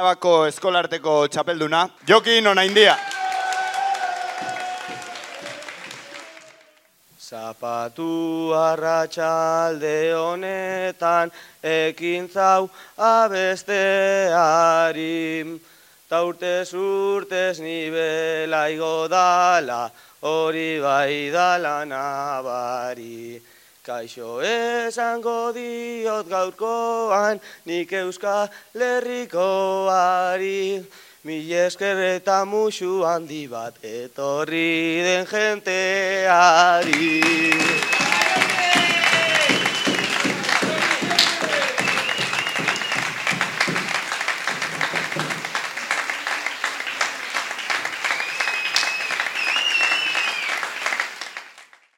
Arabako eskolarteko txapelduna, Jokin Onaindia. Zapatu arratsalde honetan ekintzau abesteari, ta urtez urtez nibela igo dala, hori bai dala nabari. Kaixo esango diot gaurkoan, nik Euskal Herrikoari, mil esker eta musu handi bat etorri den jenteari.